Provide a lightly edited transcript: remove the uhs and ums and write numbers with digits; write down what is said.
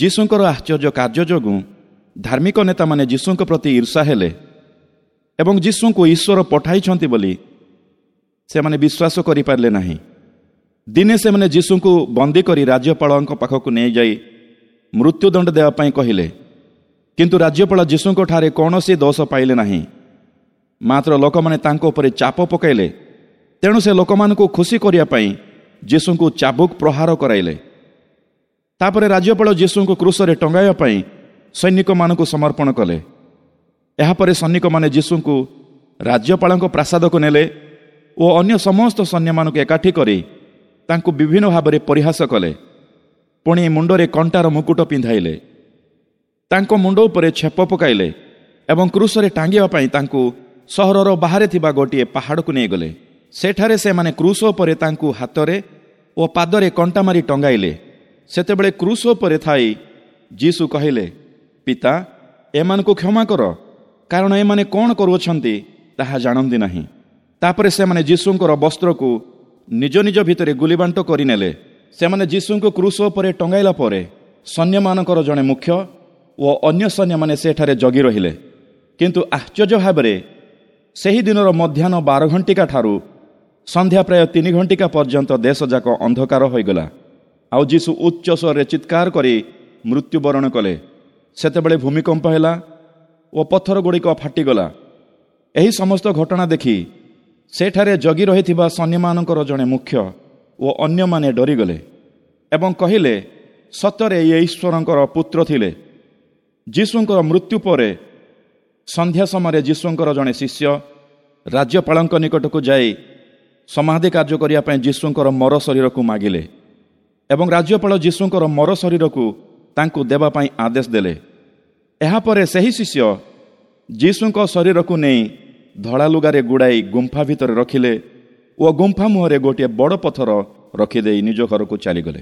ଯୀଶୁଙ୍କର ଆଶ୍ଚର୍ଯ୍ୟ କାର୍ଯ୍ୟ ଯୋଗୁଁ ଧାର୍ମିକ ନେତାମାନେ ଯୀଶୁଙ୍କ ପ୍ରତି ଈର୍ଷା ହେଲେ ଏବଂ ଯୀଶୁଙ୍କୁ ଈଶ୍ୱର ପଠାଇଛନ୍ତି ବୋଲି ସେମାନେ ବିଶ୍ୱାସ କରିପାରିଲେ ନାହିଁ। ଦିନେ ସେମାନେ ଯୀଶୁଙ୍କୁ ବନ୍ଦୀ କରି ରାଜ୍ୟପାଳଙ୍କ ପାଖକୁ ନେଇଯାଇ ମୃତ୍ୟୁଦଣ୍ଡ ଦେବା ପାଇଁ କହିଲେ। କିନ୍ତୁ ରାଜ୍ୟପାଳ ଯୀଶୁଙ୍କଠାରେ କୌଣସି ଦୋଷ ପାଇଲେ ନାହିଁ, ମାତ୍ର ଲୋକମାନେ ତାଙ୍କ ଉପରେ ଚାପ ପକାଇଲେ। ତେଣୁ ସେ ଲୋକମାନଙ୍କୁ ଖୁସି କରିବା ପାଇଁ ଯୀଶୁଙ୍କୁ ଚାବୁକ ପ୍ରହାର କରାଇଲେ। ତାପରେ ରାଜ୍ୟପାଳ ଯୀଶୁଙ୍କୁ କ୍ରୁଶରେ ଟଙ୍ଗାଇବା ପାଇଁ ସୈନିକମାନଙ୍କୁ ସମର୍ପଣ କଲେ। ଏହାପରେ ସୈନିକମାନେ ଯୀଶୁଙ୍କୁ ରାଜ୍ୟପାଳଙ୍କ ପ୍ରାସାଦକୁ ନେଲେ ଓ ଅନ୍ୟ ସମସ୍ତ ସୈନ୍ୟମାନଙ୍କୁ ଏକାଠି କରି ତାଙ୍କୁ ବିଭିନ୍ନ ଭାବରେ ପରିହାସ କଲେ। ପୁଣି ମୁଣ୍ଡରେ କଣ୍ଟାର ମୁକୁଟ ପିନ୍ଧାଇଲେ, ତାଙ୍କ ମୁଣ୍ଡ ଉପରେ ଛେପ ପକାଇଲେ ଏବଂ କ୍ରୁଶରେ ଟାଙ୍ଗିବା ପାଇଁ ତାଙ୍କୁ ସହରର ବାହାରେ ଥିବା ଗୋଟିଏ ପାହାଡ଼କୁ ନେଇଗଲେ। ସେଠାରେ ସେମାନେ କ୍ରୁଶ ଉପରେ ତାଙ୍କୁ ହାତରେ ଓ ପାଦରେ କଣ୍ଟା ମାରି ଟଙ୍ଗାଇଲେ। ସେତେବେଳେ କ୍ରୁଶ ଉପରେ ଥାଇ ଯୀଶୁ କହିଲେ, ପିତା, ଏମାନଙ୍କୁ କ୍ଷମା କର, କାରଣ ଏମାନେ କ'ଣ କରୁଅଛନ୍ତି ତାହା ଜାଣନ୍ତି ନାହିଁ। ତାପରେ ସେମାନେ ଯୀଶୁଙ୍କର ବସ୍ତ୍ରକୁ ନିଜ ନିଜ ଭିତରେ ଗୁଲିବାଣ୍ଟ କରିନେଲେ। ସେମାନେ ଯୀଶୁଙ୍କୁ କ୍ରୁଶ ଉପରେ ଟଙ୍ଗାଇଲା ପରେ ସୈନ୍ୟମାନଙ୍କର ଜଣେ ମୁଖ୍ୟ ଓ ଅନ୍ୟ ସୈନ୍ୟମାନେ ସେଠାରେ ଜଗି ରହିଲେ। କିନ୍ତୁ ଆଶ୍ଚର୍ଯ୍ୟ ଭାବରେ ସେହି ଦିନର ମଧ୍ୟାହ୍ନ 12 ଘଣ୍ଟିକା ଠାରୁ ସନ୍ଧ୍ୟା ପ୍ରାୟ 3 ଘଣ୍ଟିକା ପର୍ଯ୍ୟନ୍ତ ଦେଶଯାକ ଅନ୍ଧକାର ହୋଇଗଲା। ଆଉ ଯୀଶୁ ଉଚ୍ଚ ସ୍ୱରରେ ଚିତ୍କାର କରି ମୃତ୍ୟୁବରଣ କଲେ। ସେତେବେଳେ ଭୂମିକମ୍ପ ହେଲା ଓ ପଥର ଗୁଡ଼ିକ ଫାଟିଗଲା। ଏହି ସମସ୍ତ ଘଟଣା ଦେଖି ସେଠାରେ ଜଗି ରହିଥିବା ସୈନ୍ୟମାନଙ୍କର ଜଣେ ମୁଖ୍ୟ ଓ ଅନ୍ୟମାନେ ଡରିଗଲେ ଏବଂ କହିଲେ, ସତରେ ଇଏ ଈଶ୍ୱରଙ୍କର ପୁତ୍ର ଥିଲେ। ଯୀଶୁଙ୍କର ମୃତ୍ୟୁ ପରେ ସନ୍ଧ୍ୟା ସମୟରେ ଯୀଶୁଙ୍କର ଜଣେ ଶିଷ୍ୟ ରାଜ୍ୟପାଳଙ୍କ ନିକଟକୁ ଯାଇ ସମାଧି କାର୍ଯ୍ୟ କରିବା ପାଇଁ ଯୀଶୁଙ୍କର ମର ଶରୀରକୁ ମାଗିଲେ ଏବଂ ରାଜ୍ୟପାଳ ଯୀଶୁଙ୍କର ମର ଶରୀରକୁ ତାଙ୍କୁ ଦେବା ପାଇଁ ଆଦେଶ ଦେଲେ। ଏହାପରେ ସେହି ଶିଷ୍ୟ ଯୀଶୁଙ୍କ ଶରୀରକୁ ନେଇ ଧଳା ଲୁଗାରେ ଗୁଡ଼ାଇ ଗୁମ୍ଫା ଭିତରେ ରଖିଲେ ଓ ଗୁମ୍ଫା ମୁହଁରେ ଗୋଟିଏ ବଡ଼ ପଥର ରଖିଦେଇ ନିଜ ଘରକୁ ଚାଲିଗଲେ।